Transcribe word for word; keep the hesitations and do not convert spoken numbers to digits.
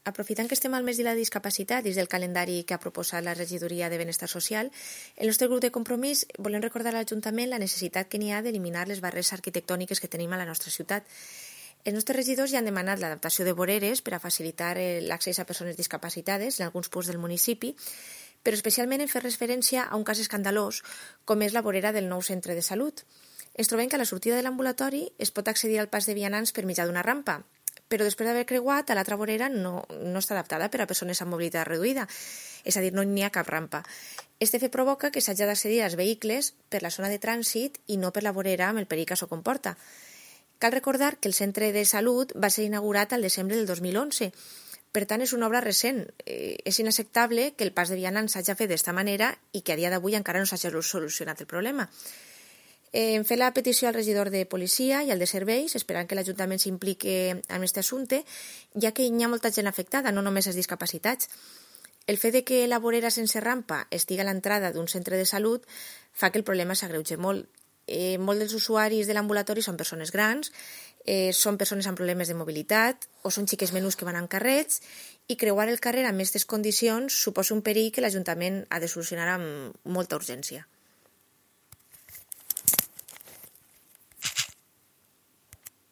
Aprofitant que estem al mes de la discapacitat dins del calendari que ha proposat la Regidoria de Benestar Social, el nostre grup de compromís volem recordar a l'Ajuntament la necessitat que n'hi ha d'eliminar les barreres arquitectòniques que tenim a la nostra ciutat. Els nostres regidors ja han demanat l'adaptació de voreres per a facilitar l'accés a persones discapacitades en alguns punts del municipi, però especialment en fer referència a un cas escandalós com és la vorera del nou centre de salut. Ens trobem que a la sortida de l'ambulatori es pot accedir al pas de vianants per mitjà d'una rampa, però després d'haver creuat, a l'altra vorera no, no està adaptada per a persones amb mobilitat reduïda, és a dir, no n'hi ha cap rampa. Este fet provoca que s'hagi d'accedir als vehicles per la zona de trànsit i no per la vorera amb el perill que això comporta. Cal recordar que el centre de salut va ser inaugurat al desembre del dos mil onze, per tant és una obra recent. Eh, és inacceptable que el pas de vianants s'hagi fet d'esta manera i que a dia d'avui encara no s'hagi solucionat el problema. Hem fet la petició al regidor de policia i al de serveis, esperant que l'Ajuntament s'impliqui en aquest assumpte, ja que hi ha molta gent afectada, no només els discapacitats. El fet de que la vorera sense rampa estigui a l'entrada d'un centre de salut fa que el problema s'agreugi molt. Eh, molts dels usuaris de l'ambulatori són persones grans, eh, són persones amb problemes de mobilitat o són xiques menús que van amb carrets, i creuar el carrer amb aquestes condicions suposa un perill que l'Ajuntament ha de solucionar amb molta urgència.